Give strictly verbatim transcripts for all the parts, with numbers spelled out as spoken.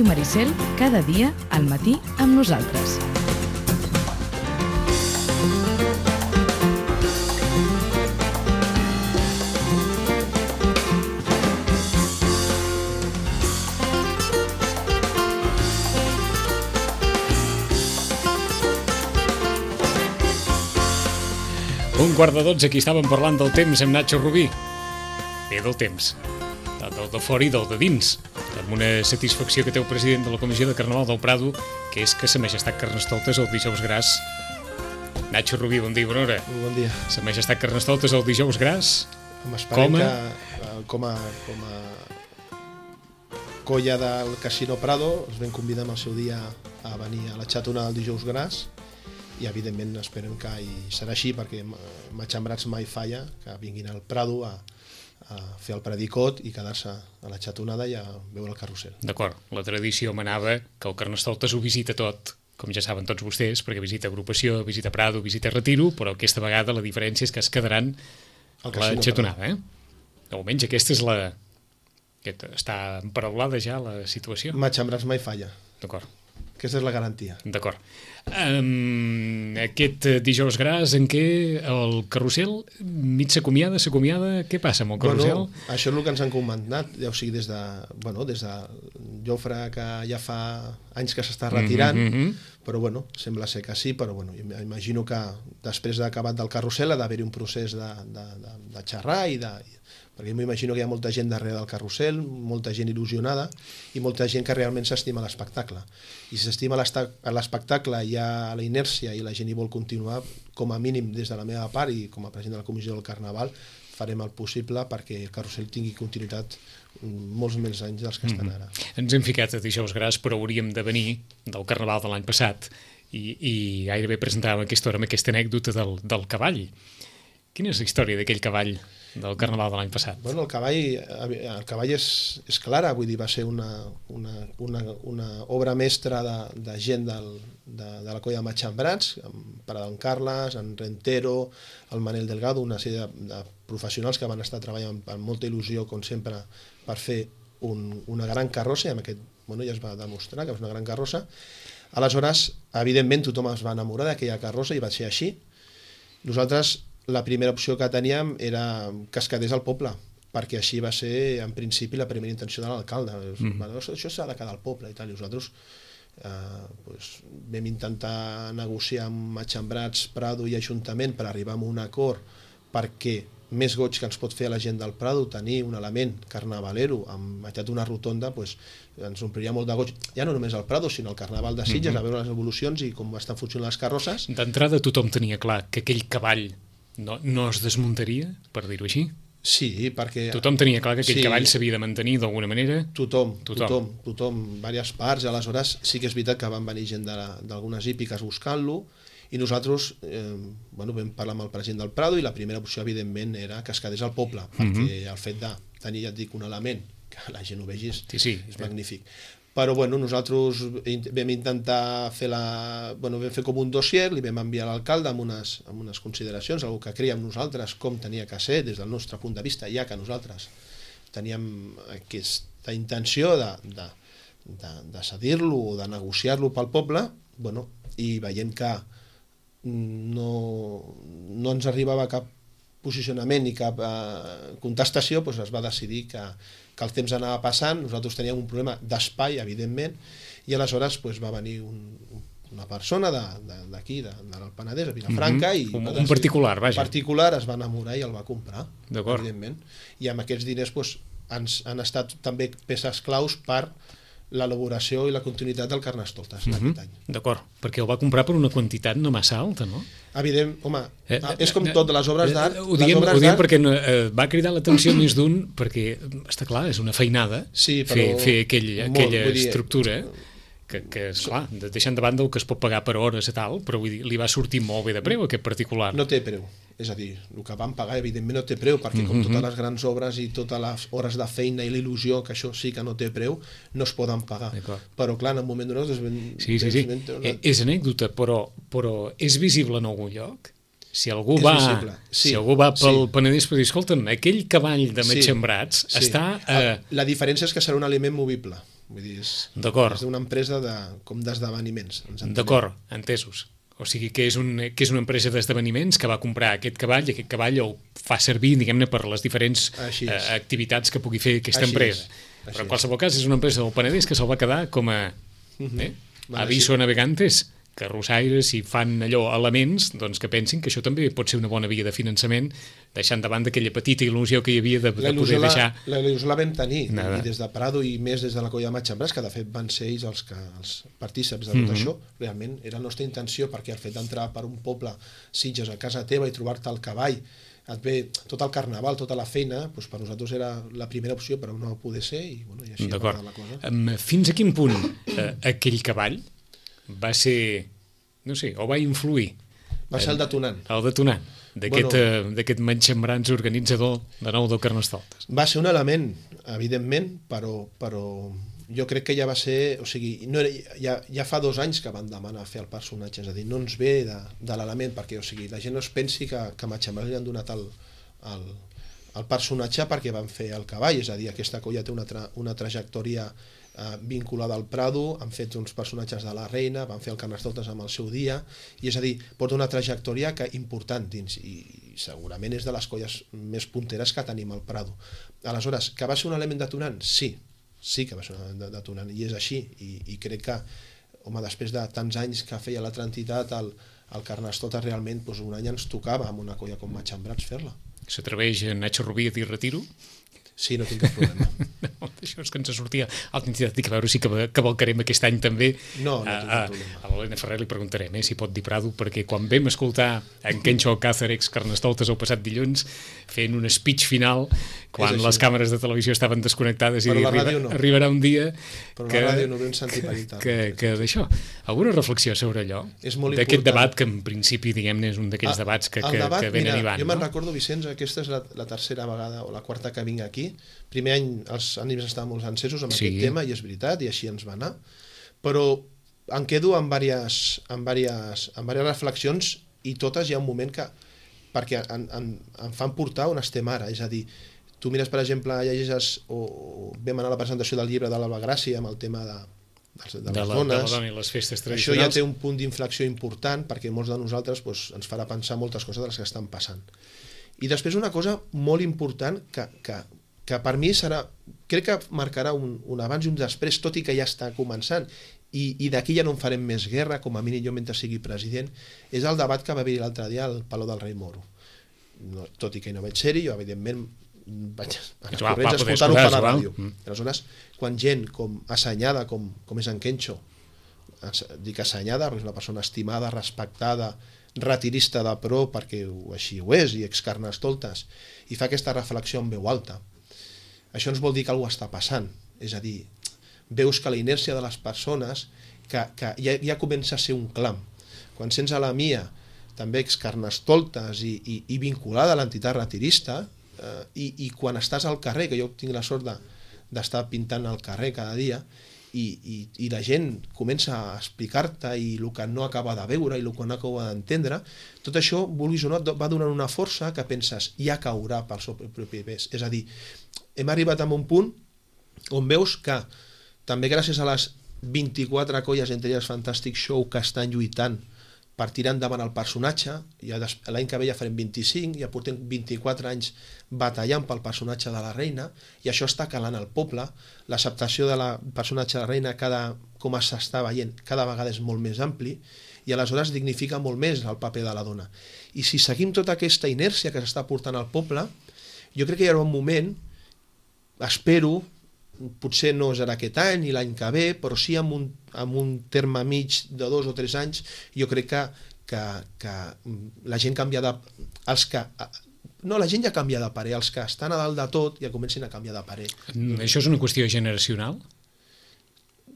Ràdio Maricel, cada dia al matí amb nosaltres. Un quart de dotze, aquí estàvem parlant del temps amb Nacho Rubí. Bé, del temps. Del de fora i del de dins. Amb una satisfacció que té el president de la Comissió de Carnaval del Prado, que és que Sa Majestat Carnestoltes el dijous gras. Nacho Rubí, bon dia, bona hora. Bon dia. Sa Majestat Carnestoltes el dijous gras. Esperem que com a, com a colla del Casino Prado els vam convidar el seu dia a venir a la xatonada del dijous gras i evidentment esperem que hi serà així perquè Matxembrats mai falla, que vinguin al Prado a, a fer el predicot i quedar-se a la xatonada i a veure el carrusel. D'acord, la tradició manava que el Carnestoltes ho visita tot, com ja saben tots vostès, perquè visita agrupació, visita Prado, visita Retiro, però aquesta vegada la diferència és que es quedaran a la xatonada, eh? Almenys aquesta és la... Aquesta, està emparaulada ja la situació. Matxembrats mai falla. D'acord. Aquesta és la garantia. D'acord. Um, aquest dijous gras en què el carrusel mig s'acomiada, s'acomiada, què passa amb el carrusel? Bueno, això és el que ens han comentat, ja, o sigui, des de, bueno, des de Jofre, que ja fa anys que s'està retirant, mm-hmm. però bueno, sembla ser que sí, però bueno, imagino que després d'acabat del carrusel ha d'haver-hi un procés de, de, de, de xerrar i de... perquè m'imagino que hi ha molta gent darrere del carrusel, molta gent il·lusionada i molta gent que realment s'estima l'espectacle. I si s'estima l'espectacle, hi ha la inèrcia i la gent hi vol continuar, com a mínim des de la meva part i com a president de la Comissió del Carnaval, farem el possible perquè el carrusel tingui continuïtat molts més anys dels que estan ara. Mm-hmm. Ens hem ficat a dijous gras, però hauríem de venir del Carnaval de l'any passat i, i gairebé presentàvem aquesta hora amb aquesta anècdota del, del cavall. Quina és la història d'aquell cavall del Carnaval de l'any passat? Bueno, el cavall, el cavall és, és clara, vull dir, va ser una, una, una, una obra mestra de, de gent del, de, de la colla de Matxembrats, amb Paradon Carles, en Rentero, el Manel Delgado, una sèrie de, de professionals que van estar treballant amb molta il·lusió, com sempre, per fer un, una gran carrossa, i amb aquest, bueno, ja es va demostrar que és una gran carrossa. Aleshores, evidentment, tothom es va enamorar d'aquella carrossa i va ser així. Nosaltres, la primera opció que teníem era que es quedés al poble, perquè així va ser, en principi, la primera intenció de l'alcalde. Mm. Això s'ha de quedar al poble i tal. I nosaltres eh, pues, vam intentar negociar amb Matxembrats, Prado i Ajuntament per arribar a un acord perquè més goig que ens pot fer a la gent del Prado tenir un element carnavalero amb meitat d'una rotonda, pues, ens ompliria molt de goig, ja no només al Prado, sinó al Carnaval de Sitges, mm-hmm. a veure les evolucions i com estan funcionant les carrosses. D'entrada tothom tenia clar que aquell cavall No, no es desmuntaria, per dir-ho així? Sí, perquè... Tothom tenia clar que aquell sí, cavall s'havia de mantenir d'alguna manera? Tothom, tothom, tothom, tothom, diverses parts. Aleshores sí que és veritat que van venir gent d'algunes hípiques buscant-lo i nosaltres eh, bueno, vam parlar amb el president del Prado i la primera opció, evidentment, era que es quedés al poble, perquè mm-hmm. el fet de tenir, ja et dic, un element que la gent ho vegi és, sí, sí, és sí. magnífic. Però bueno, nosaltres vam intentar fer la... Bueno, vam fer com un dossier, li vam enviar a l'alcalde amb unes, amb unes consideracions, algo que creiem nosaltres com tenia que ser des del nostre punt de vista, ja que nosaltres teníem aquesta intenció de, de, de, de cedir-lo o de negociar-lo pel poble, bueno, i veient que no, no ens arribava cap posicionament ni cap eh, contestació, doncs es va decidir que, que el temps anava passant, nosaltres teníem un problema d'espai, evidentment, i aleshores doncs, va venir un, una persona d'aquí, de, de, de, del Penedès, a Vilafranca, mm-hmm. i un, un particular, vaja. Un particular es va enamorar i el va comprar, evidentment, i amb aquests diners doncs, ens han estat també peces claus per l'elaboració i la continuïtat del Carnestoltes mm-hmm. d'aquest any. D'acord, perquè el va comprar per una quantitat no massa alta, no? Evident, home, eh, és com tot de les obres d'art. Ho diem, ho diem perquè eh, va cridar l'atenció més d'un, perquè, està clar, és una feinada sí, fer, fer aquell, molt, aquella estructura que, que esclar, deixant de banda el que es pot pagar per hores i tal, però vull dir, li va sortir molt bé de preu aquest particular. No té preu, és a dir, el que van pagar evidentment no té preu, perquè com totes les grans obres i totes les hores de feina i la il·lusió, que això sí que no té preu, no es poden pagar. Però clar, en un moment donat... Sí, sí, sí. Una... És anècdota, però, però és visible en algun lloc? Si algú, va, sí, si algú va pel sí. Penedès per dir, escolta'm, aquell cavall de Matxembrats sí, sí. està... Eh... La diferència és que serà un aliment movible. Vull dir, és, D'acord. és una empresa de, com d'esdeveniments. D'acord, entesos. O sigui que és, un, que és una empresa d'esdeveniments que va comprar aquest cavall i aquest cavall el fa servir, diguem-ne, per les diferents eh, activitats que pugui fer aquesta Així empresa. És. Però en qualsevol cas és una empresa del Penedès que se'l va quedar com a uh-huh. eh, aviso a navegantes, que russaires, si fan allò elements, doncs que pensin que això també pot ser una bona via de finançament, deixant de banda aquella petita il·lusió que hi havia de, de poder deixar... La il·lusió la vam tenir, Nada. i des de Prado i més des de la Colla de Matxambràs, que de fet van ser ells els, que, els partíceps de tot mm-hmm. això, realment era la nostra intenció, perquè el fet d'entrar per un poble, Sitges, a casa teva i trobar-te el cavall, et ve tot el carnaval, tota la feina, doncs per nosaltres era la primera opció, però no poder ser, i, bueno, i així va la cosa. Um, fins a quin punt eh, aquell cavall va ser, no sé, o va influir? Va ser el detonant. El detonant d'aquest bueno, uh, Matxambrans organitzador de nou del Carnestoltes. Va ser un element, evidentment, però, però jo crec que ja va ser, o sigui, no era, ja, ja fa dos anys que van demanar fer el personatge, és a dir, no ens ve de, de l'element, perquè o sigui, la gent no es pensi que, que a Matxambrans li han donat el, el, el personatge perquè van fer el cavall, és a dir, aquesta colla té una, tra, una trajectòria eh, vinculada al Prado, han fet uns personatges de la Reina, van fer el Carnestoltes amb el seu dia, i és a dir, porta una trajectòria que important dins, i, i segurament és de les colles més punteres que tenim al Prado. Aleshores, que va ser un element detonant? Sí, sí que va ser un element detonant, i és així, i, i crec que, home, després de tants anys que feia l'altra entitat, el, el Carnestoltes realment, doncs un any ens tocava amb una colla com Matxambrats fer-la. S'atreveix Nacho Rubí a dir retiro? Sí, no tinc cap problema. No, això és que ens sortia altra entitat, dic, a veure si cavalcarem aquest any també. No, no tinc cap problema. A l'Helena Ferrer li preguntarem eh, si pot dir Prado, perquè quan vam escoltar en Kencho Alcázar, ex Carnestoltes, el passat dilluns, fent un speech final, quan les càmeres de televisió estaven desconnectades, i dir, arriba, no. arribarà un dia però que, la ràdio no vam sentir per tal. que, que d'això. Alguna reflexió sobre allò? D'aquest debat que en principi, diguem-ne, és un d'aquells ah, debats que, que, debat, que venen mira, i van. Jo me'n no? recordo, Vicenç, aquesta és la, la tercera vegada o la quarta que vinc aquí. Primer any els ànims estaven molt encesos amb sí. aquest tema, i és veritat, i així ens va anar, però em quedo amb diverses, amb diverses, amb diverses reflexions, i totes hi ha un moment que, perquè em, em, em fan portar on estem ara, és a dir, tu mires, per exemple, llegeixes, o, o vam anar a la presentació del llibre de l'Alba Gràcia amb el tema de, de, de, de les la, dones, de la dona i les festes tradicionals. Això ja té un punt d'inflexió important, perquè molts de nosaltres doncs, ens farà pensar moltes coses de les que estan passant. I després una cosa molt important que, que, que per mi serà, crec que marcarà un, un abans i un després, tot i que ja està començant, i, i d'aquí ja no en farem més guerra, com a mínim jo mentre sigui president, és el debat que va haver l'altre dia al Palau del Rei Moro. No, tot i que no vaig ser-hi, jo evidentment vaig anar corrents a escoltar-ho per la ràdio. Mm. Aleshores, quan gent com assenyada, com, com és en Kencho, dic assenyada, perquè és una persona estimada, respectada, retirista de pro, perquè així ho és, i ex-Carnestoltes, i fa aquesta reflexió en veu alta. Això ens vol dir que alguna està passant, és a dir, veus que la inèrcia de les persones que, que ja, ja comença a ser un clam. Quan sents a la Mia, també ex-Carnestoltes i, i, i vinculada a l'entitat retirista, eh, i, i quan estàs al carrer, que jo tinc la sort de, d'estar pintant al carrer cada dia, i, i, i la gent comença a explicar-te i el que no acaba de veure i el que no acaba d'entendre, tot això, vulguis o no, va donant una força que penses, ja caurà pel seu propi pes. És a dir, hem arribat a un punt on veus que també gràcies a les vint-i-quatre colles, entre elles Fantastic Show, que estan lluitant per tirar endavant el personatge, ja l'any que ve ja farem vint-i-cinc, ja portem vint-i-quatre anys batallant pel personatge de la Reina, i això està calant al poble, l'acceptació del personatge de la Reina, cada, com s'està veient, cada vegada és molt més ampli, i aleshores dignifica molt més el paper de la dona. I si seguim tota aquesta inèrcia que s'està portant al poble, jo crec que hi haurà un moment, espero, potser no serà aquest any ni l'any que ve, però sí amb un, amb un terme mig de dos o tres anys, jo crec que, que, que la gent canvia de... Els que, no, la gent ja canvia de parer, els que estan a dalt de tot ja comencen a canviar de parer. Això és una qüestió generacional?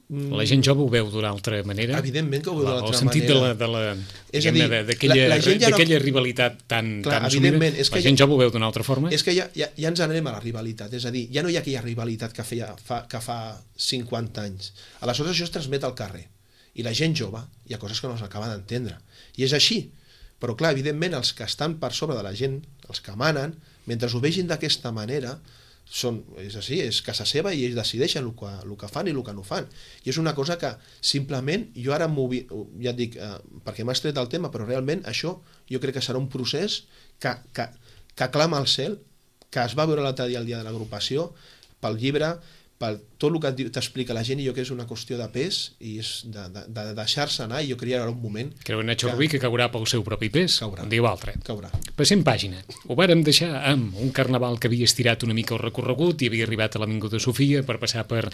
La gent jove ho veu d'una altra manera? Evidentment que ho veu d'una altra manera. El sentit de la, de la, és a dir, d'aquella la, la ja no... rivalitat tan, Clar, tan assumida, és que la gent ja, jove ho veu d'una altra forma? És que ja, ja, ja ens anem a la rivalitat, és a dir, ja no hi ha aquella rivalitat que, feia, fa, que fa cinquanta anys. Aleshores això es transmet al carrer. I la gent jove, hi ha coses que no s'acaba d'entendre. I és així. Però clar, evidentment, els que estan per sobre de la gent, els que manen, mentre ho vegin d'aquesta manera, són, és així, és casa seva i ells decideixen el que, el que fan i el que no fan. I és una cosa que simplement, jo ara ja et dic, eh, perquè m'has tret el tema, però realment això jo crec que serà un procés que, que, que clama al cel, que es va veure l'altre dia al dia de l'agrupació, pel llibre, per tot el que t'explica la gent, i jo crec que és una qüestió de pes i és de, de, de deixar-se anar, i jo creia que era un moment... Creu en Nacho Rubí que caurà pel seu propi pes, caurà, un dia o altre. Caurà. Passem pàgina. Ho vàrem deixar amb un carnaval que havia estirat una mica el recorregut i havia arribat a l'Avinguda Sofia per passar per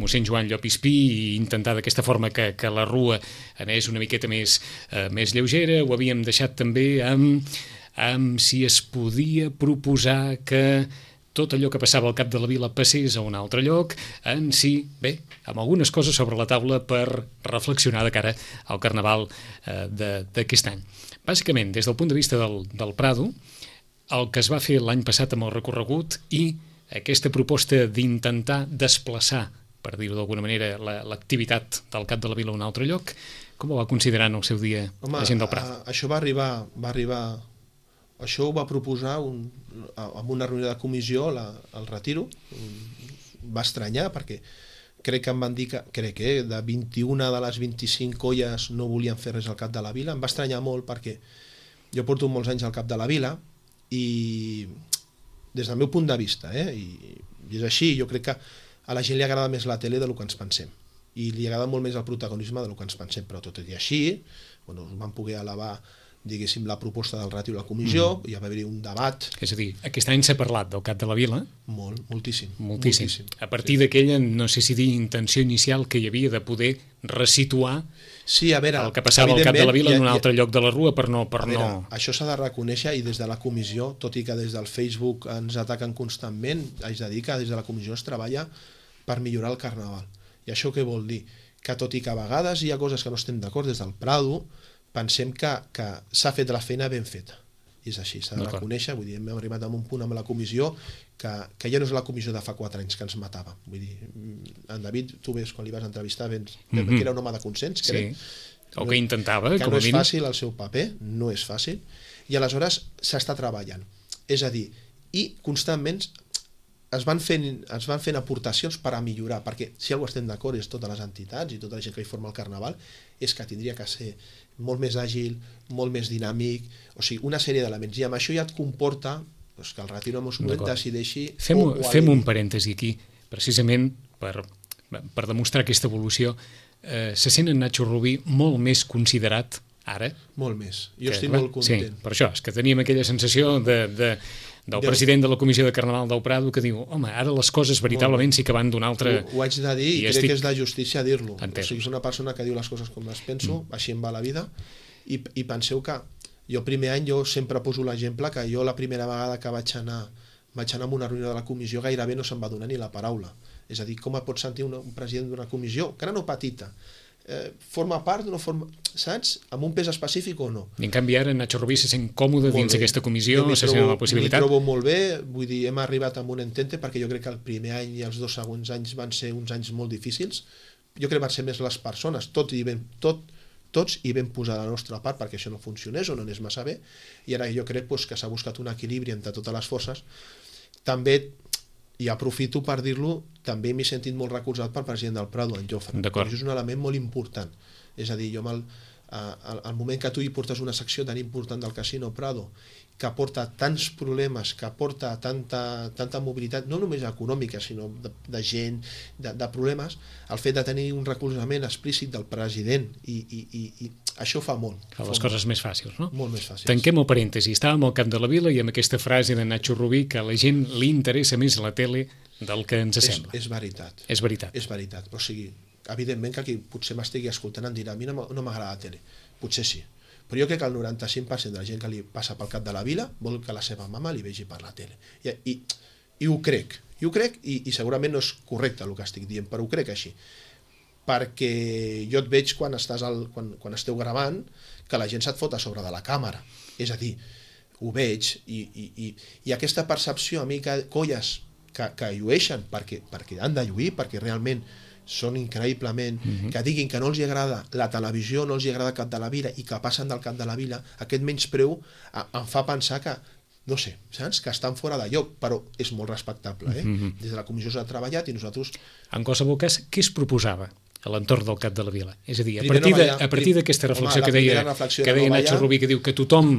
mossèn Joan Llopispí i intentar d'aquesta forma que, que la rua anés una miqueta més, eh, més lleugera. Ho havíem deixat també amb, amb si es podia proposar que tot allò que passava al cap de la vila passés a un altre lloc, en si, bé, amb algunes coses sobre la taula per reflexionar de cara al carnaval eh, d'aquest any. Bàsicament, des del punt de vista del, del Prado, el que es va fer l'any passat amb el recorregut i aquesta proposta d'intentar desplaçar, per dir-ho d'alguna manera, l'activitat la, del cap de la vila a un altre lloc, com ho va considerar en el seu dia Home, la gent del Prado? A, això va arribar... Va arribar... Això ho va proposar un, en una reunió de comissió, la, el retiro. Va estranyar perquè crec que em van dir que, crec que de vint-i-una de les vint-i-cinc colles no volien fer res al cap de la vila. Em va estranyar molt perquè jo porto molts anys al cap de la vila i des del meu punt de vista, eh, i, i és així, jo crec que a la gent li agrada més la tele del que ens pensem i li agrada molt més el protagonisme del que ens pensem, però tot i així, bueno, van poder elevar diguéssim, la proposta del ràtio a la comissió, mm. hi va haver un debat. És a dir, aquest any s'ha parlat del cap de la vila? Molt, moltíssim. Moltíssim. moltíssim. A partir sí. d'aquella, no sé si dir, intenció inicial que hi havia de poder resituar sí, a veure, el que passava al cap de la vila ha, en un altre ha, lloc de la rua per no... Per veure, no... Això s'ha de reconèixer i des de la comissió, tot i que des del Facebook ens ataquen constantment, haig de dir que des de la comissió es treballa per millorar el carnaval. I això què vol dir? Que tot i que a vegades hi ha coses que no estem d'acord des del Prado, pensem que, que s'ha fet la feina ben feta. I és així, s'ha de reconèixer. Vull dir, hem arribat a un punt amb la comissió que, que ja no és la comissió de fa quatre anys que ens matava. Vull dir, en David, tu ves, quan li vas entrevistar, vens, mm-hmm. que era un home de consens, crec. Sí. O que intentava, que com no a és mínim. fàcil el seu paper, no és fàcil, i aleshores s'està treballant. És a dir, i constantment es van fent, es van fent aportacions per a millorar, perquè si algú estem d'acord és totes les entitats i tota la gent que hi forma el carnaval, és que tindria que ser molt més àgil, molt més dinàmic, o sigui, una sèrie d'elements, i amb això ja et comporta doncs, que el retiro en un moment decideixi... Fem, fem un parèntesi aquí, precisament per, per demostrar aquesta evolució. Eh, se sent en Nacho Rubí molt més considerat ara? Molt més, jo que, estic clar, molt content. Sí, per això, és que teníem aquella sensació de... de del de... president de la Comissió de Carnaval del Prado que diu, home, ara les coses veritablement sí que van d'un altre... Ho, ho haig de dir i, i crec estic... que és de justícia dir-lo. Entenc. O sigui, és una persona que diu les coses com les penso, mm. així em va la vida, i, i penseu que jo el primer any jo sempre poso l'exemple que jo la primera vegada que vaig anar vaig anar a una reunió de la comissió gairebé no se'm va donar ni la paraula. És a dir, com et pot sentir un, un president d'una comissió, que ara no petita, eh, forma part, no forma... saps? Amb un pes específic o no. I en canvi ara Nacho Rubí se sent còmode molt dins bé. Aquesta comissió, se trobo, sent la possibilitat. M'hi trobo molt bé, vull dir, hem arribat amb un entente perquè jo crec que el primer any i els dos següents anys van ser uns anys molt difícils. Jo crec que van ser més les persones, tot i ben, tot, tots hi vam posar la nostra part perquè això no funcionés o no anés massa bé, i ara jo crec pues, que s'ha buscat un equilibri entre totes les forces. També, i aprofito per dir-lo, també m'he sentit molt recolzat pel president del Prado, en Jofre. Això és un element molt important. És a dir, jo el, al, al moment que tu hi portes una secció tan important del Casino Prado, que porta tants problemes, que porta tanta, tanta mobilitat, no només econòmica, sinó de, de gent, de, de problemes, el fet de tenir un recolzament explícit del president, i, i, i, i això fa molt. Fa les coses més fàcils, no? Molt més fàcils. Tanquem el parèntesi. Estàvem al Camp de la Vila i amb aquesta frase de Nacho Rubí que a la gent li interessa més la tele del que ens sembla. És, és veritat. És veritat. És veritat. O sigui, evidentment que qui potser m'estigui escoltant em dirà a mi no m'agrada la tele. Potser sí. Però jo crec que el noranta-cinc per cent de la gent que li passa pel cap de la vila vol que la seva mama li vegi per la tele. I, i, i ho crec. I ho crec i, i segurament no és correcte el que estic dient, però ho crec així. Perquè jo et veig quan, estàs al, quan, quan esteu gravant que la gent se't fot a sobre de la càmera. És a dir, ho veig i, i, i, i aquesta percepció a mi que colles que, que llueixen perquè, perquè han de lluir, perquè realment són increïblement, uh-huh. que diguin que no els agrada la televisió, no els agrada el Cap de la Vila i que passen del Cap de la Vila, aquest menyspreu em fa pensar que no sé, saps? Que estan fora de lloc, però és molt respectable, eh? Mm-hmm. Des de la comissió s'ha treballat i nosaltres... En qualsevol cas, què es proposava a l'entorn del Cap de la Vila? És a dir, a Primer partir, no de, ballar. a partir d'aquesta reflexió Home, que deia, reflexió que deia no Nacho ballar. Rubí, que diu que tothom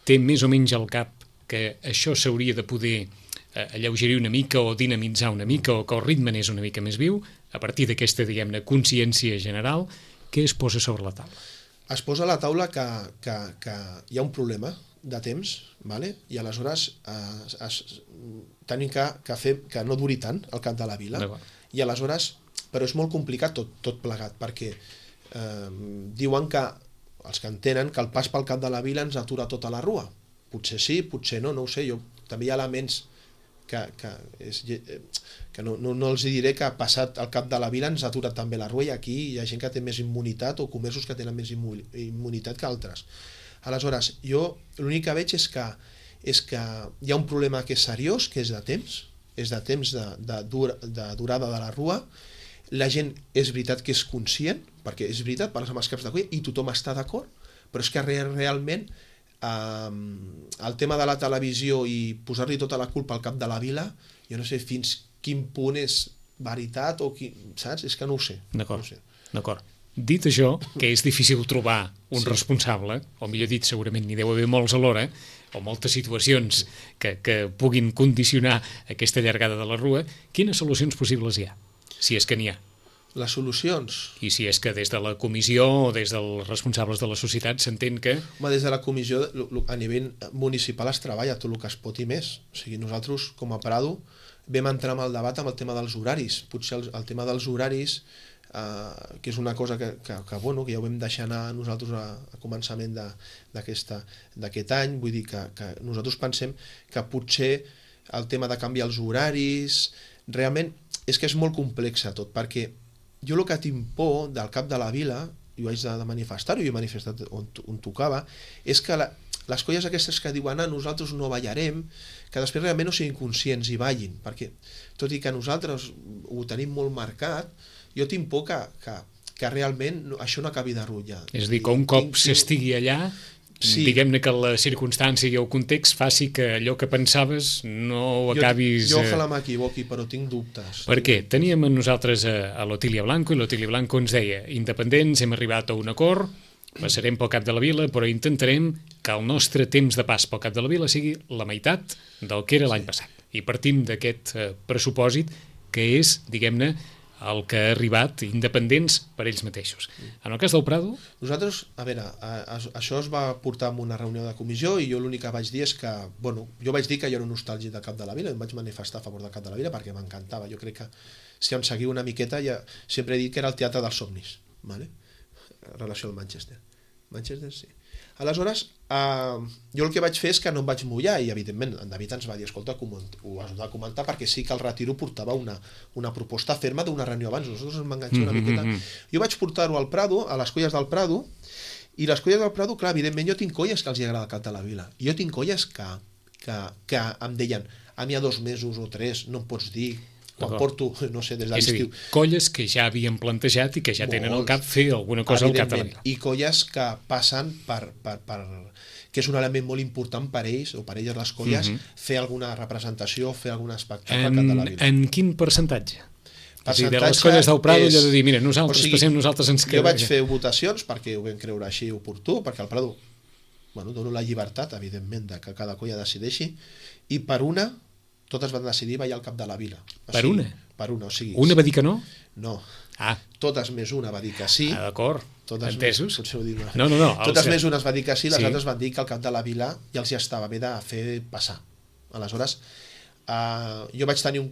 té més o menys al cap que això s'hauria de poder eh, alleugerir una mica o dinamitzar una mica o que el ritme n'és una mica més viu, a partir d'aquesta, diguem-ne, consciència general, què es posa sobre la taula? Es posa a la taula que, que, que hi ha un problema de temps, vale? I aleshores eh, es, tenim que, que fer que no duri tant el Cap de la Vila, i aleshores, però és molt complicat tot, tot plegat, perquè eh, diuen que, els que entenen, que el pas pel Cap de la Vila ens atura tota la rua. Potser sí, potser no, no ho sé, jo també hi ha elements que, que, és, que no, no, no els diré que passat el Cap de la Vila ens atura també la rua, i aquí hi ha gent que té més immunitat o comerços que tenen més immunitat que altres. Aleshores, jo l'únic que veig és que, és que hi ha un problema que és seriós, que és de temps, és de temps de, de, dur, de durada de la rua. La gent és veritat que és conscient, perquè és veritat, parles amb els caps de colla i tothom està d'acord, però és que realment eh, el tema de la televisió i posar-li tota la culpa al Cap de la Vila, jo no sé fins quin punt és veritat o qui, saps? És que no ho sé. D'acord, no ho sé. d'acord. Dit això, que és difícil trobar un sí. responsable, o millor dit, segurament n'hi deu haver molts alhora, o moltes situacions que, que puguin condicionar aquesta llargada de la rua, quines solucions possibles hi ha, si és que n'hi ha? Les solucions? I si és que des de la comissió o des dels responsables de la societat s'entén que... Home, des de la comissió a nivell municipal es treballa tot el que es pot i més. O sigui, nosaltres, com a Prado, vam entrar en el debat amb el tema dels horaris. Potser el, el tema dels horaris... Uh, que és una cosa que, que, que, bueno, que ja ho vam deixar anar nosaltres a, a començament d'aquest any, vull dir que, que nosaltres pensem que potser el tema de canviar els horaris, realment és que és molt complex tot, perquè jo el que tinc por del Cap de la Vila, i ho haig de manifestar-ho, i ho he manifestat on, on tocava, és que la, les colles aquestes que diuen ah, nosaltres no ballarem, que després realment no siguin conscients i ballin, perquè tot i que nosaltres ho tenim molt marcat, jo tinc por que, que, que realment això no acabi de rutllar. És a dir, que un cop s'estigui allà, sí. diguem-ne que la circumstància i el context faci que allò que pensaves no ho acabis... Jo, jo ojalà m'equivoqui, però tinc dubtes. Per què? Teníem amb nosaltres a, a l'Otília Blanco, i l'Otília Blanco ens deia, independents, hem arribat a un acord, passarem pel Cap de la Vila, però intentarem que el nostre temps de pas pel Cap de la Vila sigui la meitat del que era l'any sí. passat. I partim d'aquest eh, pressupòsit que és, diguem-ne, el que ha arribat independents per ells mateixos. En el cas del Prado... Nosaltres, a veure, a, a, això es va portar en una reunió de comissió i jo l'únic que vaig dir és que, bueno, jo vaig dir que jo era nostàlgic del Cap de la Vila, em vaig manifestar a favor del Cap de la Vila perquè m'encantava. Jo crec que, si em seguiu una miqueta, ja sempre he dit que era el teatre dels somnis, ¿vale? En relació al Manchester. Manchester, sí. Aleshores, eh, jo el que vaig fer és que no em vaig mullar i, evidentment, en David ens va dir, escolta, ho has de comentar perquè sí que el retiro portava una, una proposta ferma d'una reunió abans. Nosaltres ens vam enganxar una miqueta. Jo vaig portar-ho al Prado, a les colles del Prado, i les colles del Prado, clar, evidentment, jo tinc colles que els agrada el Cap de la Vila. I jo tinc colles que, que, que em deien, a mi a dos mesos o tres no em pots dir... quan porto, no sé, des de l'estiu. Colles que ja havien plantejat i que ja tenen al cap fer alguna cosa al Cap de la Vila. I colles que passen per, per, per... que és un element molt important per ells, o per elles les colles, uh-huh. fer alguna representació, fer algun espectacle al Cap de la Vila. En quin percentatge? Percentatge de les colles del Prado, allò de dir, mira, nosaltres o sigui, passem, nosaltres ens quedem... Jo vaig fer votacions perquè ho vam creure així oportú, perquè al Prado, bueno, dono la llibertat, evidentment, de que cada colla decideixi, i per una... totes van decidir ballar al Cap de la Vila. O per sigui, una? Per una, o sigui... Una va dir que no? No. Ah. Totes més una va dir que sí. Ah, d'acord. Entesos? Més, potser ho dic, no, no, no. Totes més una es va dir que sí, les sí. altres van dir que al Cap de la Vila ja els hi estava bé de fer passar. Aleshores, uh, jo vaig tenir un...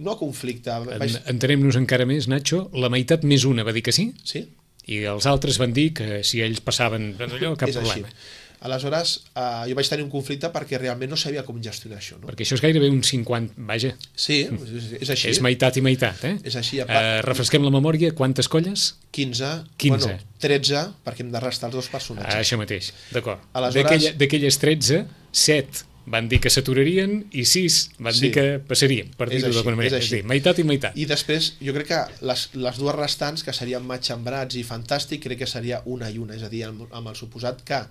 no conflicte... Vaig... Entenem-nos encara més, Nacho. La meitat més una va dir que sí? Sí. I els altres van dir que si ells passaven allò, cap és problema. Així. Aleshores, eh, jo vaig tenir un conflicte perquè realment no sabia com gestionar això. No? Perquè això és gairebé un cinquanta... Vaja. Sí, és, és així. És meitat i meitat, eh? És així. Uh, refresquem la memòria, quantes colles? quinze. quinze. Bueno, tretze, perquè hem de restar els dos personatges. Ah, això mateix, d'acord. Aleshores... D'aquelles tretze, set van dir que s'aturarien i sis van sí. dir que passarien, per dir-ho d'alguna manera. És, és dir, meitat i meitat. I després, jo crec que les, les dues restants, que serien matxembrats i fantàstic, crec que seria una i una, és a dir, amb, amb el suposat que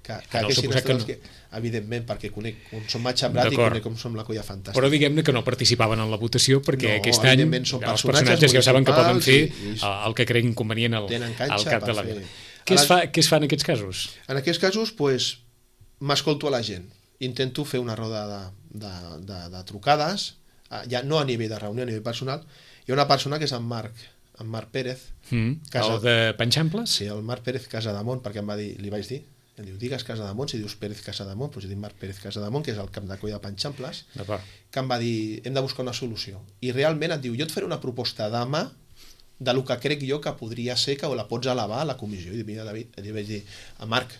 que, que Ara, haguessin suposat estat que els no. que... Evidentment, perquè conec com som Matxembrat i D'acord. conec com som la Colla Fantàstica. Però diguem-ne que no participaven en la votació perquè No, aquest any evidentment són els personatges personatges ja saben que poden fer municipals i- i- el, el que creguin convenient al, Tenen al canxa cap per de la fer- vila. Què es, A la- fa, què es fa en aquests casos? En aquests casos, pues, m'escolto a la gent. Intento fer una roda de, de, de, de trucades, eh, ja no a nivell de reunió, a nivell personal. Hi ha una persona que és en Marc, en Marc Pérez. Mm, Casa- el de Panxamples? Sí, el Marc Pérez Casademont, perquè em va dir, li vaig dir, em diu, digues Casademont, si dius Pérez Casademont, doncs jo dic Marc Pérez Casademont, que és el cap de colla de Panxamples, D'acord. que em va dir, hem de buscar una solució. I realment et diu, jo et faré una proposta demà de lo que crec jo que podria ser que la pots elevar a la comissió. I mira, David, li vaig dir, a Marc,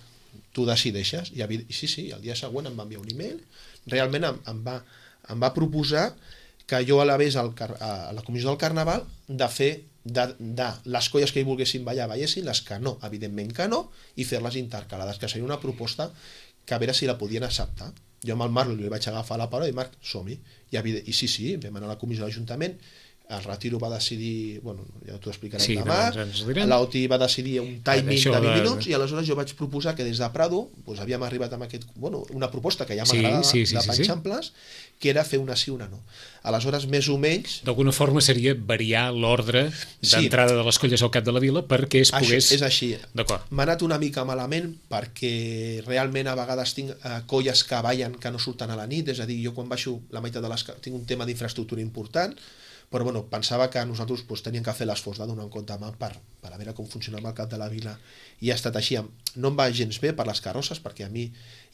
tu decideixes? I, i sí, sí, el dia següent em va enviar un email, realment em, em, va, em va proposar que jo elevés al, car- a la comissió del Carnaval de fer de, de les colles que hi volguessin ballar, ballessin, les que no, evidentment que no, i fer-les intercalades, que seria una proposta que a veure si la podien acceptar. Jo amb el Marc li vaig agafar la paraula i Marc, som-hi. I, evident- I sí, sí, vam anar a la comissió de l'Ajuntament, el Retiro va decidir, bueno, ja t'ho explicarem Sí, demà, doncs ens ho diran. l'O T I va decidir un timing Això de vint de- minuts i aleshores jo vaig proposar que des de Prado doncs havíem arribat amb aquest, bueno, una proposta que ja Sí, m'agrada sí, sí, de sí, sí. Panxamples, que era fer una sí, una no. Aleshores, més o menys, D'alguna forma seria variar l'ordre Sí. d'entrada de les colles al cap de la vila perquè es això, pogués... és així. D'acord. M'ha anat una mica malament perquè realment a vegades tinc eh, colles que ballen que no surten a la nit, és a dir, jo quan baixo la meitat de les... ca- tinc un tema d'infraestructura important, però bueno, pensava que nosaltres pues, teníem que fer l'esforç de donar un compte a mà per, per a veure com funcionava el cap de la vila, i ha estat així. No em va gens bé per les carrosses, perquè a mi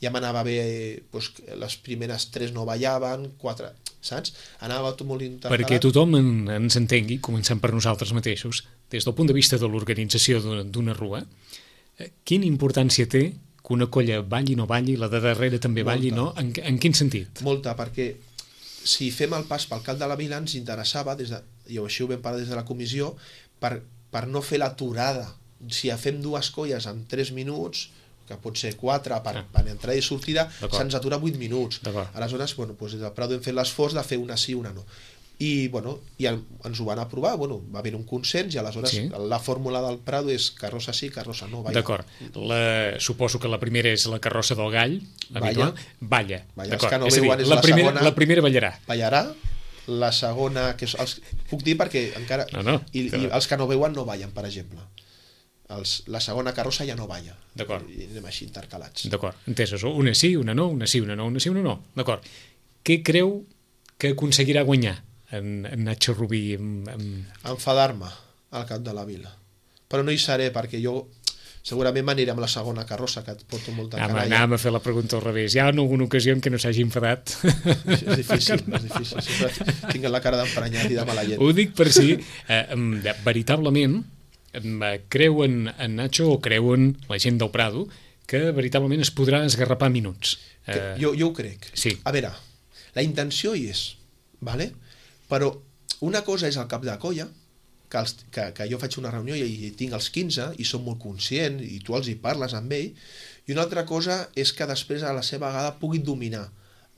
ja m'anava bé, pues, les primeres tres no ballaven, quatre, saps? Anava tot molt intercalat. Perquè tothom en, ens entengui, començant per nosaltres mateixos, des del punt de vista de l'organització d'una- d'una rua, eh, quina importància té que una colla balli o no balli, la de darrere també balli, Molta. no? En, en quin sentit? Molta, perquè si fem el pas pel cap de la vila ens interessava, des de, i així ho vam parlar des de la comissió, per, per no fer l'aturada. Si fem dues colles en tres minuts, que pot ser quatre per, Ah. per entrada i sortida, D'acord. se'ns atura vuit minuts. D'acord. Aleshores, bueno, doncs des del Prado hem fet l'esforç de fer una sí, una no. I, bueno, i el, ens ho van aprovar, bueno, va haver un consens i aleshores Sí. la fórmula del Prado és carrossa sí, carrossa no. Balla. D'acord. La, suposo que la primera és la carrossa del gall, Balla. habitual. Balla. Balla. D'acord. Els que no És a dir, veuen és la, la primera, segona. la primera ballarà. Ballarà, la segona, que és, els, puc dir perquè encara... No, no, I, que- i els que no veuen no ballen, per exemple. Els, la segona carrossa ja no balla. D'acord. I anem així intercalats. D'acord, entesos. Una sí, una no, una sí, una no, una sí, una no. D'acord. Què creu que aconseguirà guanyar en, en Nacho Rubí? En, en... Enfadar-me al cap de la vila. Però no hi seré perquè jo segurament m'aniré amb la segona carrossa, que et porto molta Anàvem, canalla. anàvem a fer la pregunta al revés. Hi ha alguna ocasió en què no s'hagi enfadat? És difícil, és difícil. Sempre tinc la cara d'emprenyat i de mala llet. Ho dic per si eh, em, de- veritablement em, eh, creuen en Nacho o creuen la gent del Prado que veritablement es podrà esgarrapar minuts. Que, Eh, jo, jo ho crec. sí. A veure, la intenció hi és, vale? Però una cosa és el cap de colla, que, els, que, que jo faig una reunió i, i tinc els quinze i som molt conscients i tu els hi parles amb ell, i una altra cosa és que després a la seva vegada puguin dominar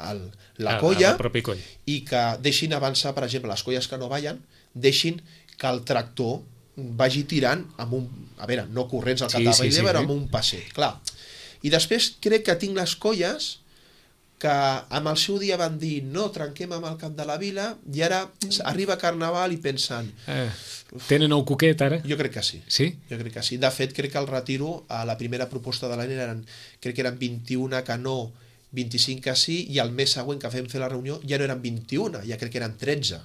el, la a- colla a la pròpia colla. i que deixin avançar, per exemple, les colles que no ballen, deixin que el tractor vagi tirant amb un... A veure, no corrents al Sí, cap de sí, la sí, però sí. amb un passet, clar. I després crec que tinc les colles que amb el seu dia van dir no, trenquem amb el cap de la vila i ara arriba Carnaval i pensen Eh, tenen el coquet ara? jo crec que sí. Sí? Jo crec que sí. De fet, crec que el retiro a la primera proposta de l'any eren, crec que eren vint-i-una que no, vint-i-cinc que sí, i el mes següent que fem fer la reunió ja no eren vint-i-una, ja crec que eren tretze.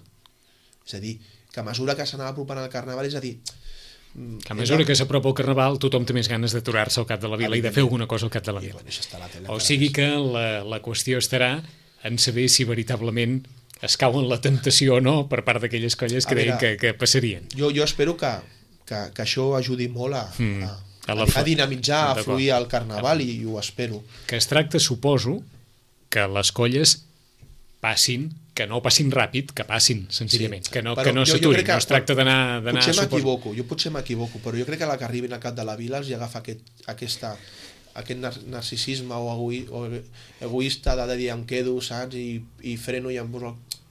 És a dir, que a mesura que s'anava apropant al Carnaval, és a dir... mm, Que a mesura que s'apropa el Carnaval tothom té més ganes d'aturar-se al cap de la vila i de fer alguna cosa al cap de la I, vila. bueno, això està a la tele, O encara sigui més. que la, la qüestió estarà en saber si veritablement es cauen la temptació o no per part d'aquelles colles que A deien veure, que, que passarien. Jo, jo espero que, que, que això ajudi molt a, Mm, a, a a, la a, fa- dinamitzar, a D'acord. fluir el Carnaval i, i ho espero. Que es tracta, suposo, que les colles passin, que no passin ràpid, que passin, senzillament, Sí, que no, però que no jo- jo s'aturin, crec que no es tracta d'anar... d'anar, Potser suposo- m'equivoco, jo potser m'equivoco, però jo crec que la que arribin al cap de la vila els hi agafa aquest, aquesta, aquest nar narcisisme o, egoi, o egoista de dir em quedo, saps, i, i freno i em...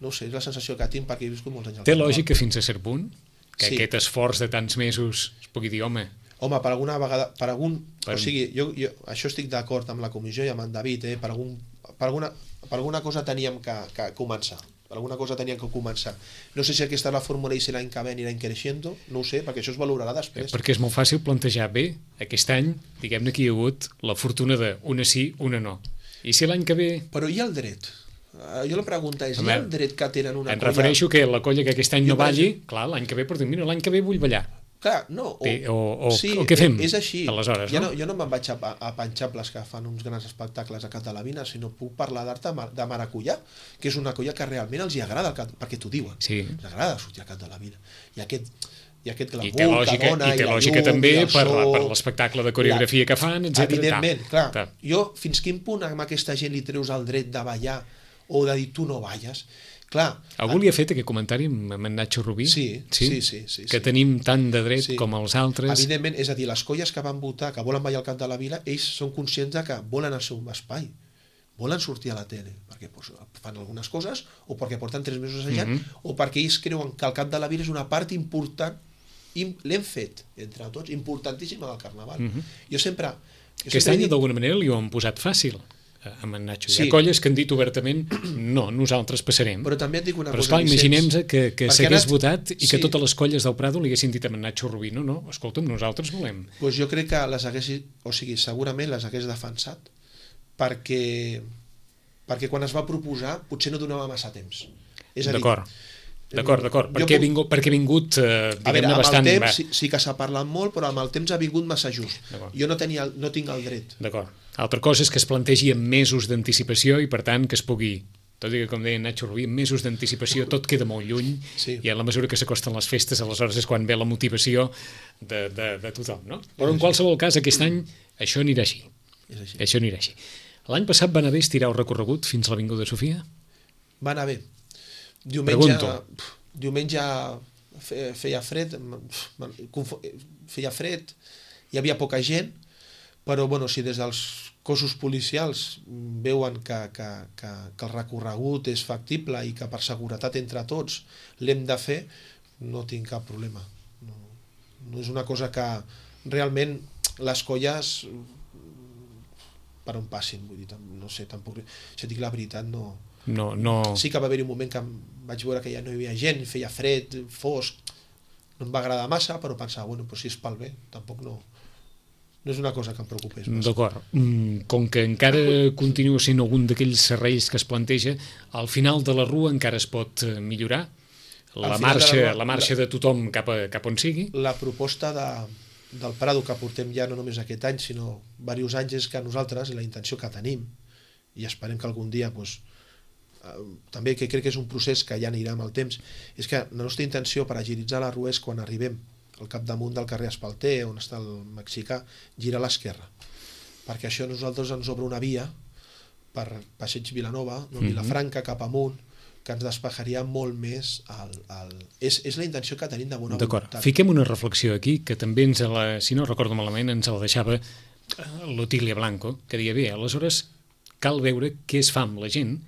No ho sé, és la sensació que tinc perquè he viscut molts anys al Té Carnaval. lògica fins a cert punt que Sí. aquest esforç de tants mesos es pugui dir, home, Home, per alguna vegada, per algun... Per... O sigui, jo, jo això estic d'acord amb la comissió i amb en David, eh? per, algun, per, alguna, per alguna cosa teníem que, que començar. Per alguna cosa teníem que començar. No sé si aquesta és la fórmula i si l'any que ve anirà creixent, no ho sé, perquè això es valorarà després. Perquè és molt fàcil plantejar, bé, aquest any, diguem-ne que hi ha hagut la fortuna de una sí, una no. I si l'any que ve... Però hi ha el dret. Jo la pregunta és, hi ha el dret que tenen una em colla... Em refereixo que la colla que aquest any no balli, clar, l'any que ve, per dir, mira, l'any que ve vull ballar. Clar, no, o, o, o, sí, o què fem? És així. Aleshores, ja no? no, jo no me'n vaig a, a Panxables que fan uns grans espectacles a Cat de la Vina, sinó puc parlar d'art de Maracuyà, que és una colla que realment els hi agrada, el Cat, perquè t'ho diuen, sí. els agrada sortir a Cat de la Vina. I aquest, i aquest glamour I té lògica, que dona, i té i la lògica llum, també i el per, so, per l'espectacle de coreografia la, que fan, etcètera. Evidentment, ta, clar. Ta. Jo, fins quin punt amb aquesta gent li treus el dret de ballar o de dir tu no balles? Clar, algú li ha fet aquest comentari amb en Nacho Rubí? Sí, sí, sí, sí, sí, que sí. tenim tant de dret sí. com els altres. Evidentment, és a dir, les colles que van votar, que volen ballar al Cap de la Vila, ells són conscients de que volen el seu espai, volen sortir a la tele, perquè pues, fan algunes coses, o perquè porten tres mesos assajant, mm -hmm. o perquè ells creuen que el Cap de la Vila és una part important, i l'hem fet, entre tots, importantíssima del Carnaval. Mm -hmm. Jo sempre... Jo Aquest sempre any, dit... d'alguna manera, li ho han posat fàcil amb en Nacho. Sí. Hi ha colles que han dit obertament no, nosaltres passarem. Però també et dic una Però, cosa, esclar, imaginem-se que, que s'hagués anat... votat i sí. que totes les colles del Prado li haguessin dit a en Nacho Rubí, no, no, escolta'm, nosaltres volem. Pues jo crec que les hagués, o sigui, segurament les hagués defensat, perquè, perquè quan es va proposar potser no donava massa temps. És a dir, d'acord. D'acord, d'acord, perquè, puc... vingut, perquè ha vingut eh, a veure, amb bastant... el temps sí, sí que s'ha parlat molt, però amb el temps ha vingut massa just. Jo no, tenia, no tinc el dret. D'acord. Altra cosa és que es plantegi amb mesos d'anticipació i, per tant, que es pugui, tot i que, com deia Nacho Rubí, amb mesos d'anticipació tot queda molt lluny, sí. I a la mesura que s'acosten les festes, aleshores és quan ve la motivació de, de, de tothom, no? Però en qualsevol cas, aquest any això anirà així. És així. Això anirà així. L'any passat van haver estirar el recorregut fins a l'Avinguda Sofia? Va anar bé. Diumenge, Pregunto. Diumenge feia fred, feia fred, hi havia poca gent, però bueno, si des dels cossos policials veuen que, que, que, que el recorregut és factible i que per seguretat entre tots l'hem de fer, no tinc cap problema. No, no és una cosa que realment les colles per on passin, vull dir, no sé, tampoc, si dic la veritat, no... No, no... Sí que va haver-hi un moment que vaig veure que ja no hi havia gent, feia fred, fosc, no em va agradar massa, però pensava, bueno, però si és pel bé, tampoc no... No és una cosa que em preocupés massa. D'acord. Com que encara continua sent algun d'aquells serrells que es planteja, al final de la rua encara es pot millorar? La marxa, de la, la marxa la, de tothom cap, a, cap on sigui? La proposta de, del Prado que portem ja no només aquest any, sinó diversos anys, és que nosaltres, la intenció que tenim, i esperem que algun dia doncs, també que crec que és un procés que ja anirà amb el temps, és que la nostra intenció per agilitzar la rua és quan arribem al capdamunt del carrer Espalter, on està el mexicà, gira a l'esquerra, perquè això a nosaltres ens obre una via per Passeig Vilanova, no? Vilafranca cap amunt, que ens despejaria molt més el, el... És, és la intenció que tenim de bona voluntat. D'acord, fiquem una reflexió aquí, que també ens la, si no recordo malament, ens la deixava l'Otília Blanco, que deia, bé, aleshores cal veure què es fa amb la gent,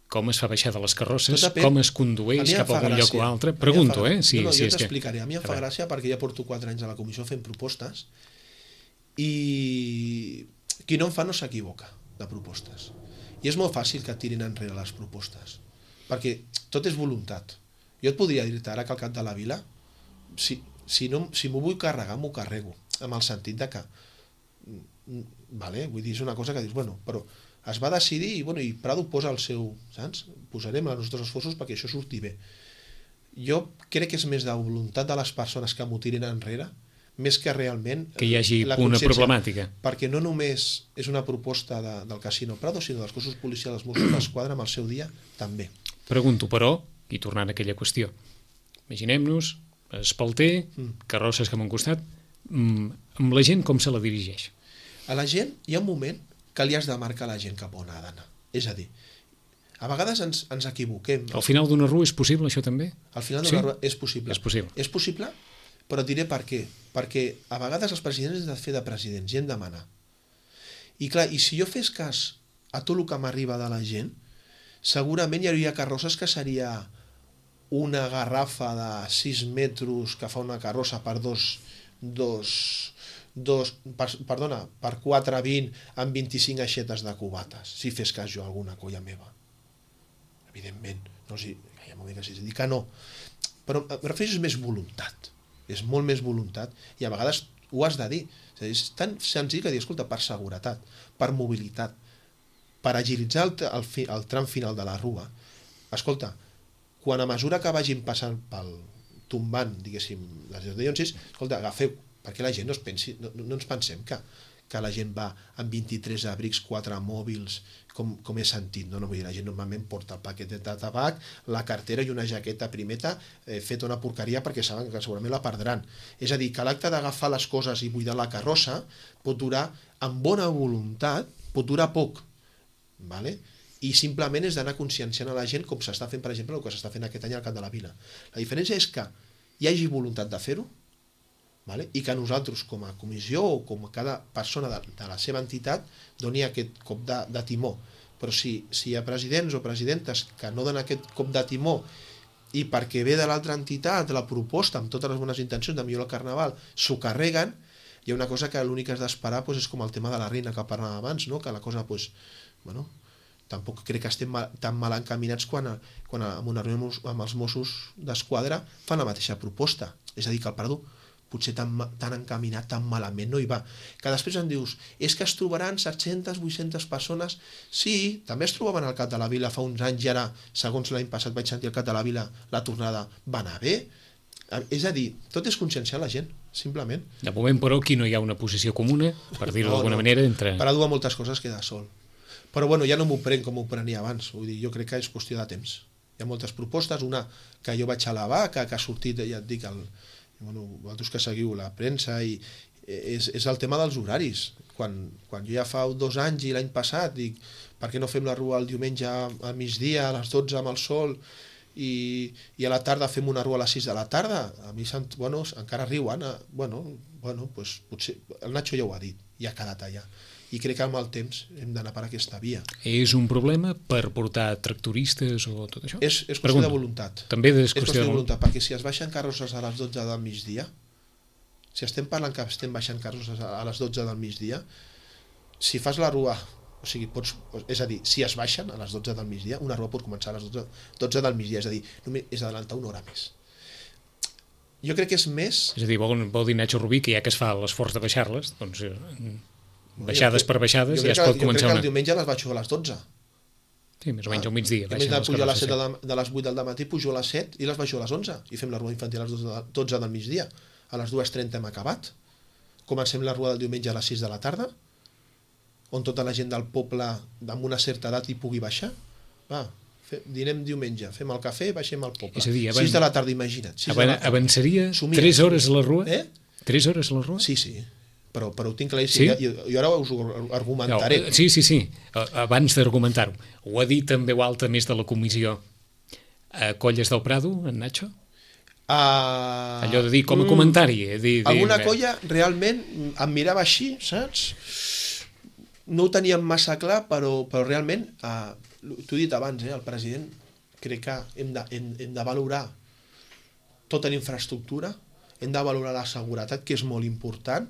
com es fa baixar de les carrosses, com es condueix cap a algun lloc o altre. Pregunto, eh? Sí, no, no, jo t'explicaré. A mi em fa gràcia perquè ja porto quatre anys a la comissió fent propostes i qui no en fa no s'equivoca de propostes. I és molt fàcil que tirin enrere les propostes, perquè tot és voluntat. Jo et podria dir-te ara que al Cap de la Vila, si, si, no, si m'ho vull carregar, m'ho carrego, amb el sentit de que, vale, vull dir, és una cosa que dius, bueno, però es va decidir i, bueno, i Prado posa el seu, saps? Posarem els nostres esforços perquè això surti bé. Jo crec que és més de voluntat de les persones que m'ho tirin enrere, més que realment... Que hi hagi una problemàtica. Perquè no només és una proposta de, del Casino Prado, sinó dels cossos policials dels Mossos d'Esquadra amb el seu dia, també. Pregunto, però, i tornant a aquella qüestió, imaginem-nos, Espalter, mm. carrosses cap a un costat, amb la gent com se la dirigeix? A la gent hi ha un moment que li has de marcar la gent cap on ha d'anar. És a dir, a vegades ens, ens equivoquem. Al final d'una rua és possible, això també? Al final d'una sí? rua és possible. És possible. És possible, però et diré per què. Perquè a vegades els presidents han de fer de presidents i hem de manar. I clar, i si jo fes cas a tot el que m'arriba de la gent, segurament hi hauria carrosses que seria una garrafa de sis metres que fa una carrossa per dos, dos, dos, per, perdona, per quatre vint amb vint-i-cinc aixetes de cubates, si fes cas jo a alguna colla meva. Evidentment, no sé, ja m'ho dic, dir que no. Però em refereixo, és més voluntat. És molt més voluntat i a vegades ho has de dir. És, dir, és tan senzill que dir, escolta, per seguretat, per mobilitat, per agilitzar el, el, fi, el tram final de la rua, escolta, quan a mesura que vagin passant pel tombant, diguéssim, les deusionsis, escolta, agafeu, perquè la gent no, es pensi, no, no ens pensem que, que la gent va amb vint-i-tres abrics, quatre mòbils, com, com he sentit, no? No vull dir, la gent normalment porta el paquet de tabac, la cartera i una jaqueta primeta eh, feta una porqueria perquè saben que segurament la perdran. És a dir, que l'acte d'agafar les coses i buidar la carrossa pot durar, amb bona voluntat, pot durar poc, vale? I simplement és d'anar conscienciant a la gent com s'està fent, per exemple, el que s'està fent aquest any al Camp de la Vila. La diferència és que hi hagi voluntat de fer-ho, vale? I que nosaltres com a comissió o com a cada persona de, de la seva entitat doni aquest cop de, de timó. Però si, si hi ha presidents o presidentes que no donen aquest cop de timó i perquè ve de l'altra entitat la proposta amb totes les bones intencions de millorar el Carnaval s'ho carreguen, hi ha una cosa que l'únic que has d'esperar pues, és com el tema de la reina que parlàvem abans, no? Que la cosa, pues, bueno, tampoc crec que estem mal, tan mal encaminats quan, a, quan a, amb una reunió amb els Mossos d'Esquadra fan la mateixa proposta. És a dir, que el Prado potser tan, tan encaminat, tan malament no hi va. Que després em dius, és que es trobaran set-centes, vuit-centes persones. Sí, també es trobaven al Camp de la Vila fa uns anys i ara, segons l'any passat vaig sentir al Camp de la Vila, la tornada va anar bé. És a dir, tot és conscienciar la gent, simplement. De moment, però, aquí no hi ha una posició comuna, per dir-ho no, d'alguna no. manera, entre... Per a dur a moltes coses queda sol. Però bueno, ja no m'ho prenc com m'ho prenia abans. Vull dir, jo crec que és qüestió de temps. Hi ha moltes propostes, una que jo vaig elevar, que, que ha sortit, ja et dic, el, bueno, vosaltres que seguiu la premsa, i és, és el tema dels horaris. Quan, quan jo ja fa dos anys i l'any passat dic, per què no fem la rua el diumenge al migdia, a les dotze amb el sol, i, i a la tarda fem una rua a les sis de la tarda? A mi bueno, encara riuen. Bueno, bueno, pues, potser, el Nacho ja ho ha dit, ja ha quedat allà. I crec que amb el temps hem d'anar per aquesta via. És un problema per portar tractoristes o tot això? És, és qüestió de voluntat. També és qüestió, és qüestió de voluntat, perquè si es baixen carrosses a les dotze del migdia, si estem parlant que estem baixant carrosses a les dotze del migdia, si fas la rua, o sigui, pots, és a dir, si es baixen a les dotze del migdia, una rua pot començar a les dotze, dotze del migdia, és a dir, només és adelantar una hora més. Jo crec que és més... És a dir, vol, vol dir Nacho Rubí que ja que es fa l'esforç de baixar-les, doncs... baixades per baixades ja es pot començar jo crec que una... el diumenge les baixo a les dotze. Sí, més o menys al migdia. En més de pujar a les set de, de les vuit del matí, pujo a les set i les baixo a les onze i fem la rua infantil a les dotze del migdia. A les dues trenta hem acabat. Comencem la rua del diumenge a les sis de la tarda, on tota la gent del poble amb una certa edat hi pugui baixar. Va, fe, dinem diumenge, fem el cafè, baixem al poble. És a dir, avan... sis de la tarda, imagina't. Avan... Avançaria tres hores a la rua? Eh? tres hores a la rua? Sí, sí. Però, però ho tinc claríssim, sí? i, i ara us ho argumentaré. No, sí, sí, sí, abans d'argumentar-ho. Ho ha dit en veu alta més de la comissió a Colles del Prado, en Nacho? Uh, Allò de dir com a comentari. Eh? Dir, alguna dir, colla realment em mirava així, saps? No ho teníem massa clar, però, però realment, uh, t'ho he dit abans, eh, el president, crec que hem de, hem, hem de valorar tota la infraestructura, hem de valorar la seguretat, que és molt important,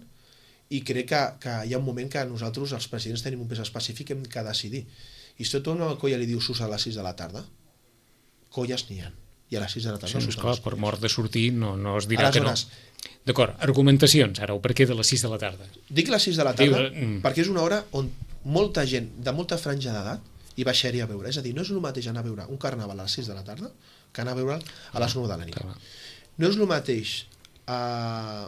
i crec que, que hi ha un moment que nosaltres, els presidents, tenim un pes específic que hem de decidir. I si tot una colla li diu sus a les sis de la tarda, colles n'hi ha. I a les sis de la tarda... Sí, esclar, per mort de sortir no, no es dirà Aleshores, que no. D'acord, argumentacions, ara, o per què de les sis de la tarda? Dic les sis de la tarda Diu, mm. perquè és una hora on molta gent de molta franja d'edat hi baixaria a veure. És a dir, no és el mateix anar a veure un carnaval a les sis de la tarda que anar a veure'l a les nou de la nit. Clar. No és el mateix eh,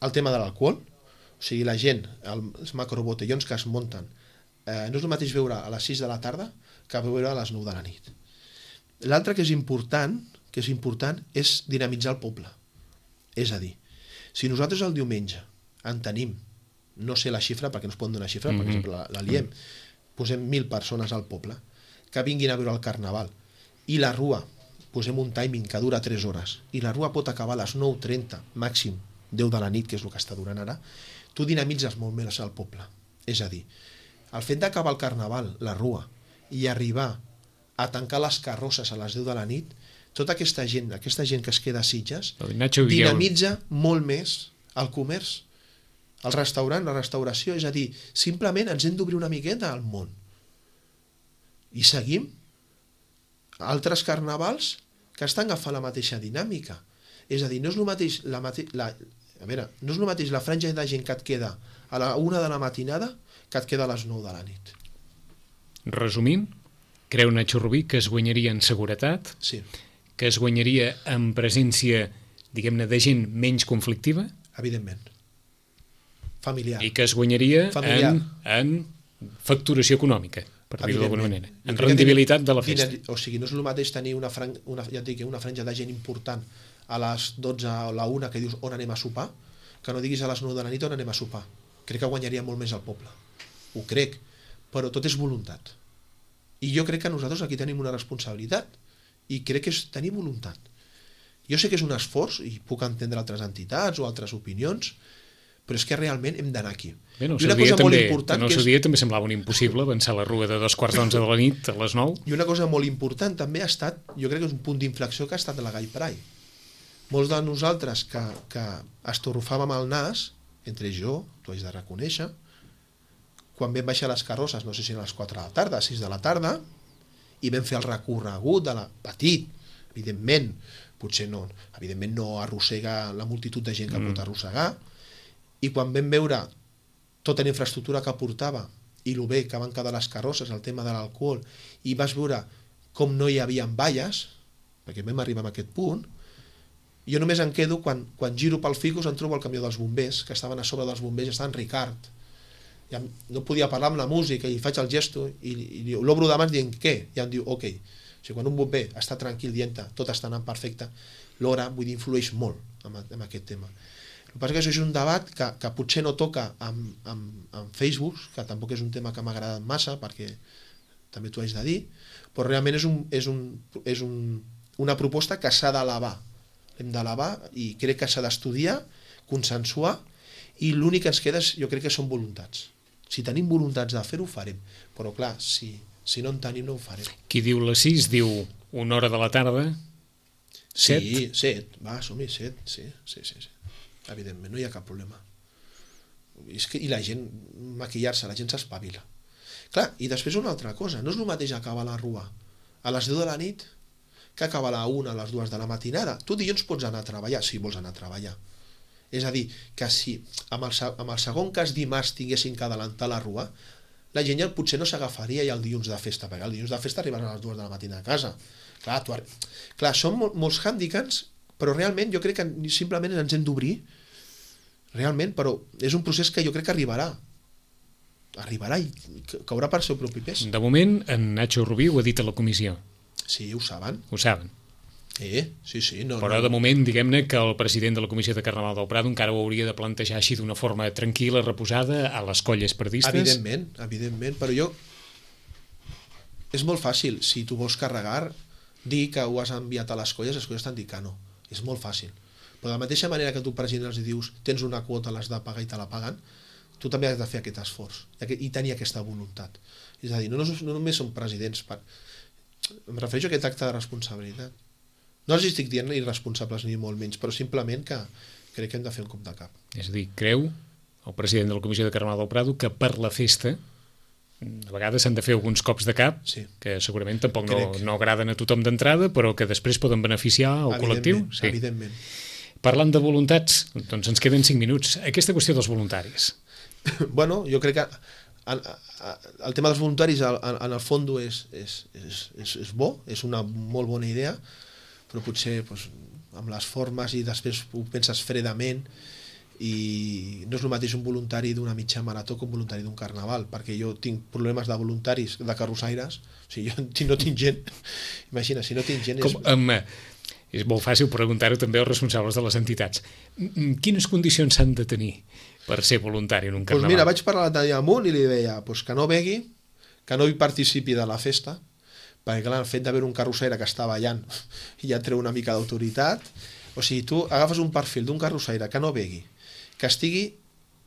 el tema de l'alcohol, o sigui, la gent, els macrobotellons que es munten, eh, no és el mateix veure a les sis de la tarda que veure a les nou de la nit. L'altre que és important, que és important, és dinamitzar el poble. És a dir, si nosaltres el diumenge en tenim, no sé la xifra, perquè no es poden donar xifra, mm-hmm. per exemple, la, la liem, posem mil persones al poble, que vinguin a veure el carnaval, i la rua, posem un timing que dura tres hores, i la rua pot acabar a les nou trenta, màxim deu de la nit, que és el que està durant ara, tu dinamitzes molt més al poble. És a dir, el fet d'acabar el carnaval, la rua, i arribar a tancar les carrosses a les deu de la nit, tota aquesta gent, aquesta gent que es queda a Sitges, Nacho, dinamitza molt més el comerç. el restaurant, la restauració, és a dir, simplement ens hem d'obrir una miqueta al món. I seguim altres carnavals que estan agafant la mateixa dinàmica. És a dir, no és el mateix la, mate... la... A veure, no és el mateix la franja de gent que et queda a la una de la matinada que et queda a les nou de la nit. Resumint, creu Nacho Rubí que es guanyaria en seguretat, sí. que es guanyaria en presència, diguem-ne, de gent menys conflictiva, evidentment. Familiar. I que es guanyaria Familiar. en, en facturació econòmica, per dir-ho d'alguna manera, en rendibilitat de la festa. O sigui, no és el mateix tenir una, fran... una, ja et dic, una franja de gent important a les dotze o la una que dius on anem a sopar, que no diguis a les nou de la nit on anem a sopar. Crec que guanyaria molt més el poble. Ho crec, però tot és voluntat. I jo crec que nosaltres aquí tenim una responsabilitat i crec que és tenir voluntat. Jo sé que és un esforç i puc entendre altres entitats o altres opinions, però és que realment hem d'anar aquí. Bé, no, I una cosa molt important... En el seu dia també semblava un impossible avançar la rua de dos quarts d'onze de la nit a les nou. I una cosa molt important també ha estat, jo crec que és un punt d'inflexió que ha estat la Gai Pride. Molts de nosaltres que, que estorrufàvem el nas, entre jo, t'ho haig de reconèixer, quan vam baixar les carrosses, no sé si a les quatre de la tarda, a sis de la tarda, i vam fer el recorregut de la petit, evidentment, potser no, evidentment no arrossega la multitud de gent que mm. pot arrossegar, i quan vam veure tota la infraestructura que portava i el bé que van quedar les carrosses, el tema de l'alcohol, i vas veure com no hi havia valles, perquè vam arribar a aquest punt, jo només em quedo quan, quan giro pel ficus em trobo el camió dels bombers, que estaven a sobre dels bombers, estaven Ricard, ja no podia parlar amb la música i faig el gesto i, i l'obro de mans dient què? I em diu ok. O sigui, quan un bomber està tranquil dient tot està anant perfecte, l'hora vull dir influeix molt en, en aquest tema. El que passa que això és un debat que, que potser no toca amb, amb, amb Facebook, que tampoc és un tema que m'ha agradat massa perquè també t'ho haig de dir, però realment és, un, és, un, és un, una proposta que s'ha d'elevar. Hem d'elevar i crec que s'ha d'estudiar, consensuar, i l'únic que ens queda és, jo crec que són voluntats. Si tenim voluntats de fer-ho, ho farem. Però clar, si, si no en tenim, no ho farem. Qui diu les sis, diu una hora de la tarda, set? Sí, set. Va, som-hi, set. Sí, sí, sí, sí. Evidentment, no hi ha cap problema. I, és que, i la gent, maquillar-se, la gent s'espavila. Clar, i després una altra cosa. No és el mateix acabar la rua a les deu de la nit que acabar a la una, a les dues de la matinada. Tu dilluns pots anar a treballar, si vols anar a treballar. És a dir, que si amb el, amb el segon cas dimarts tinguessin que adelantar la rua, la gent ja potser no s'agafaria ja el dilluns de festa, perquè el dilluns de festa arriben a les dues de la matina a casa. Clar, tu... Clar són mol, molts hàndicaps, però realment jo crec que simplement ens hem d'obrir, realment, però és un procés que jo crec que arribarà. Arribarà i caurà per seu propi pes. De moment, en Nacho Rubí ho ha dit a la comissió. Sí, ho saben. Ho saben. Eh, sí, sí, no, però no. de moment, diguem-ne que el president de la Comissió de Carnaval del Prado encara ho hauria de plantejar així d'una forma tranquil·la, reposada, a les colles perdistes. Evidentment, evidentment, però jo... És molt fàcil, si tu vols carregar, dir que ho has enviat a les colles, les colles t'han dit que no. És molt fàcil. Però de la mateixa manera que tu president els dius tens una quota, l'has de pagar i te la paguen, tu també has de fer aquest esforç i tenir aquesta voluntat. És a dir, no, no, no només som presidents, per... em refereixo a aquest acte de responsabilitat. No els estic dient irresponsables ni molt menys, però simplement que crec que hem de fer un cop de cap. És a dir, creu el president de la Comissió de Carnaval del Prado que per la festa a vegades s'han de fer alguns cops de cap sí. que segurament tampoc no, no agraden a tothom d'entrada, però que després poden beneficiar el col·lectiu. Sí. Evidentment. Parlant de voluntats, doncs ens queden cinc minuts. Aquesta qüestió dels voluntaris. Bueno, jo crec que el tema dels voluntaris en el fons és, és, és, és, és bo, és una molt bona idea, però potser doncs, amb les formes i després ho penses fredament i no és el mateix un voluntari d'una mitja marató que un voluntari d'un carnaval, perquè jo tinc problemes de voluntaris de carrossaires, o sigui, jo no tinc gent, imagina, si no tinc gent... Com, és... Um, és molt fàcil preguntar-ho també als responsables de les entitats. Quines condicions s'han de tenir per ser voluntari en un carnaval? Doncs mira, vaig parlar l'altre dia amb un i li deia pues, que no begui, que no hi participi de la festa, perquè clar, el fet d'haver un carrossaire que està ballant ja treu una mica d'autoritat. O sigui, tu agafes un perfil d'un carrossaire que no begui, que estigui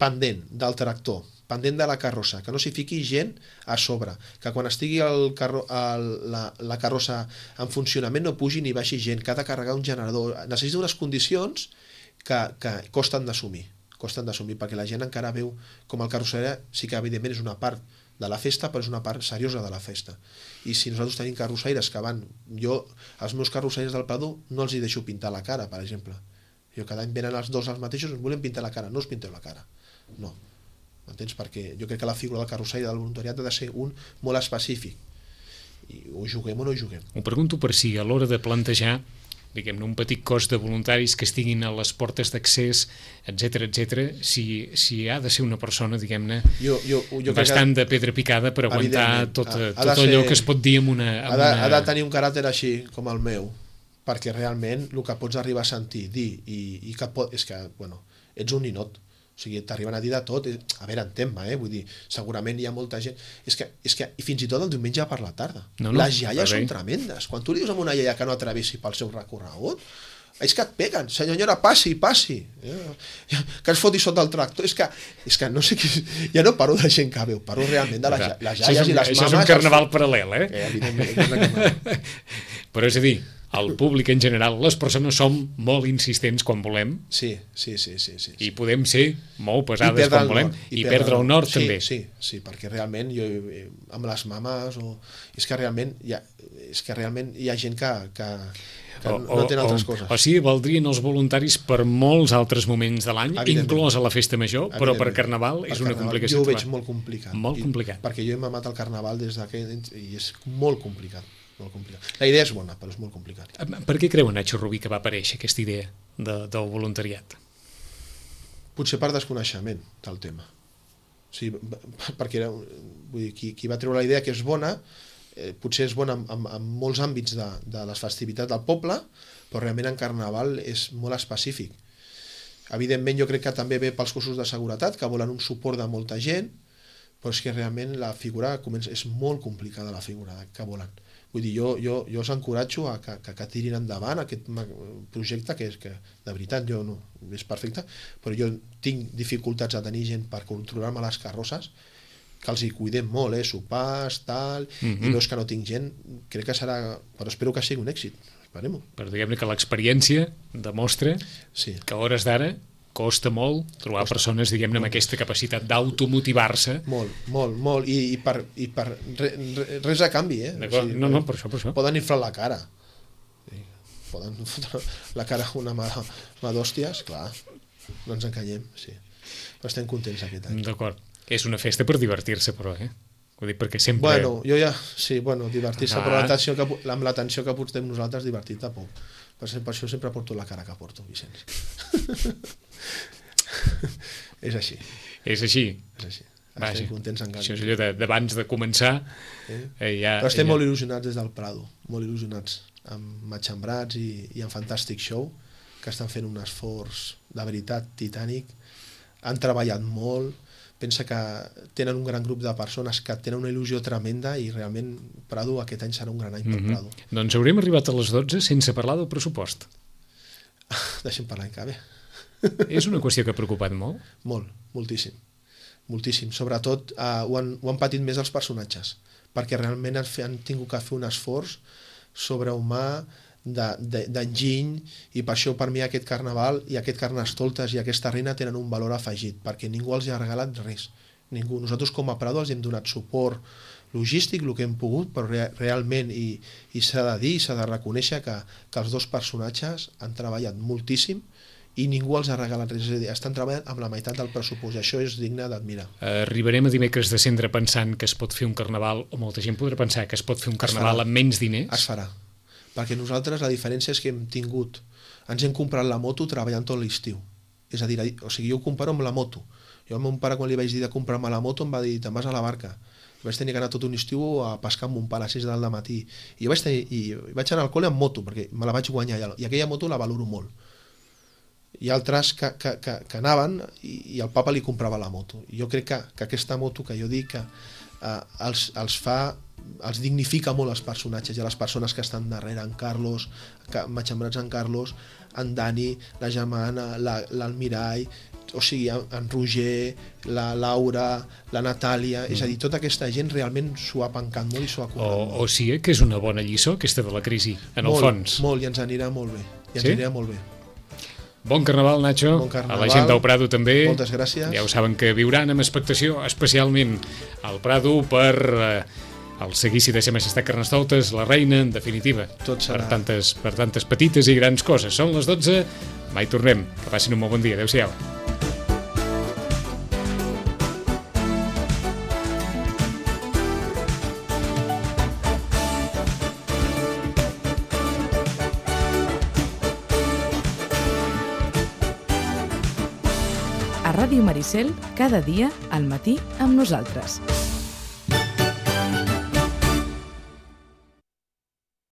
pendent del tractor, pendent de la carrossa, que no s'hi fiqui gent a sobre, que quan estigui el carro, el, la, la carrossa en funcionament no pugi ni baixi gent, que ha de carregar un generador. Necessita unes condicions que, que costen d'assumir, costen d'assumir, perquè la gent encara veu com el carrusseria, sí que evidentment és una part de la festa, però és una part seriosa de la festa. I si nosaltres tenim carrussaires que van... Jo, els meus carrussaires del Prado, no els hi deixo pintar la cara, per exemple. Jo cada any venen els dos els mateixos, ens volem pintar la cara, no us pinteu la cara. No. M'entens? Perquè jo crec que la figura del carrussaire del voluntariat ha de ser un molt específic. I o juguem o no juguem. Ho pregunto per si a l'hora de plantejar, diguem-ne, un petit cos de voluntaris que estiguin a les portes d'accés, etcètera, etcètera, si, si ha de ser una persona, diguem-ne, jo, jo, jo bastant que, de pedra picada per aguantar tot, ha, tot ha allò ser, que es pot dir amb una... Amb ha, de, una... ha de tenir un caràcter així, com el meu, perquè realment el que pots arribar a sentir, dir, i, i que pot, és que, bueno, ets un ninot. O sigui, t'arriben a dir de tot. A veure, entén-me, eh? Vull dir, segurament hi ha molta gent... És que, és que i fins i tot el diumenge per la tarda. No, no, les iaies són tremendes. Quan tu li dius a una iaia que no atravessi pel seu recorregut, és que et peguen. Senyora, passi, passi. Que es foti sota el tractor. És que, és que no sé qui... Ja no parlo de gent que veu, parlo realment de les, les iaies i les mames... Això és un carnaval els... paral·lel, eh? eh evidentment. Però és a dir, el públic en general, les persones som molt insistents quan volem. Sí, sí, sí. sí, sí, sí. I podem ser molt pesades quan volem. I, I perdre el nord sí, també. Sí, sí, perquè realment jo, amb les mames o... és que realment hi ha, és que realment hi ha gent que, que, que o, no tenen altres o, coses. O sigui, valdrien els voluntaris per molts altres moments de l'any, inclòs a la festa major, però per Carnaval és per una carnaval, complicació. Jo ho veig molt complicat. Molt I, complicat. Perquè jo he mamat el Carnaval des d'aquell... i és molt complicat. Molt complicat. La idea és bona, però és molt complicat. Per què creu Nacho Rubí que va aparèixer aquesta idea de, del voluntariat? Potser per desconeixement del tema. O sigui, perquè era, vull dir, qui, qui va treure la idea que és bona, eh, potser és bona en, en, en molts àmbits de, de les festivitats del poble, però realment en Carnaval és molt específic. Evidentment jo crec que també ve pels cossos de seguretat, que volen un suport de molta gent, però és que realment la figura comença, és molt complicada la figura que volen. Vull dir, jo, jo, jo els encoratjo a que, que, que tirin endavant aquest projecte que és que, de veritat, jo no, és perfecte, però jo tinc dificultats a tenir gent per controlar-me les carrosses, que els hi cuidem molt, eh, sopars, tal, mm-hmm. i veus que no tinc gent, crec que serà, però espero que sigui un èxit, esperem-ho. Però diguem-ne que l'experiència demostra sí. que a hores d'ara costa molt trobar costa. persones, diguem-ne, amb aquesta capacitat d'automotivar-se. Molt, molt, molt, i, i per, i per re, re, res a canvi, eh? O sigui, no, no, per això, per això. Poden inflar la cara. Poden fotre la cara una mà, mà d'hòsties, clar, no ens enganyem, sí. Però estem contents aquest any. D'acord. És una festa per divertir-se, però, eh? Vull dir, perquè sempre... Bueno, jo ja, sí, bueno, divertir-se, ah. però l'atenció que, amb l'atenció que portem nosaltres, divertir-te poc. Per això sempre porto la cara que porto, Vicenç. És així. És així. És així. Estem contents encara. Això és allò d'abans de, de començar. Eh? Eh, ja, Però estem ja... molt il·lusionats des del Prado, molt il·lusionats amb Matxembrats i, i amb Fantàstic Show, que estan fent un esforç de veritat titànic. Han treballat molt, pensa que tenen un gran grup de persones que tenen una il·lusió tremenda i realment Prado aquest any serà un gran any per mm-hmm. Prado. Doncs haurem arribat a les dotze sense parlar del pressupost. Deixem parlar en cabe. És una qüestió que ha preocupat molt? Molt, moltíssim. Moltíssim. Sobretot eh, ho, han, ho han patit més els personatges, perquè realment han, han tingut que fer un esforç sobrehumà d'enginy, i per això per mi aquest carnaval i aquest carnestoltes i aquesta reina tenen un valor afegit, perquè ningú els ha regalat res. Ningú. Nosaltres com a Prado els hem donat suport logístic, el que hem pogut, però re, realment, i, i s'ha de dir, s'ha de reconèixer que, que els dos personatges han treballat moltíssim i ningú els ha regalat res, és a dir, estan treballant amb la meitat del pressupost, i això és digne d'admirar. Arribarem a dimecres de cendre pensant que es pot fer un carnaval, o molta gent podrà pensar que es pot fer un carnaval amb menys diners? Es farà, perquè nosaltres la diferència és que hem tingut, ens hem comprat la moto treballant tot l'estiu, és a dir, o sigui, jo ho comparo amb la moto. Jo al meu pare, quan li vaig dir de comprar-me la moto, em va dir, te'n vas a la barca. Vaig tenir que anar tot un estiu a pescar amb mon pare a les sis del matí, i vaig, tenir, i vaig anar al col·le amb moto, perquè me la vaig guanyar allà, i aquella moto la valoro molt. Hi ha altres que, que, que, que anaven i, i el papa li comprava la moto. I jo crec que, que aquesta moto que jo dic que eh, els, els fa, els dignifica molt els personatges i les persones que estan darrere, en Carlos, que, Matxembrats en Carlos, en Dani, la Germana, l'Almirall, o sigui, en Roger, la Laura, la Natàlia, mm. és a dir, tota aquesta gent realment s'ho ha pencat molt i s'ho ha currat o, molt. O sigui que és una bona lliçó aquesta de la crisi, en molt, el fons. Molt, i ens anirà molt bé, i ens sí? anirà molt bé. Bon carnaval, Nacho. Bon carnaval. A la gent del Prado també. Moltes gràcies. Ja ho saben que viuran amb expectació, especialment al Prado, per eh, el seguici de Sa Majestat Carnestoltes, la reina, en definitiva. Tot serà. Per tantes, per tantes petites i grans coses. Són les dotze, mai tornem. Que passin un molt bon dia. Adéu-siau. A Ràdio Maricel, cada dia al matí amb nosaltres.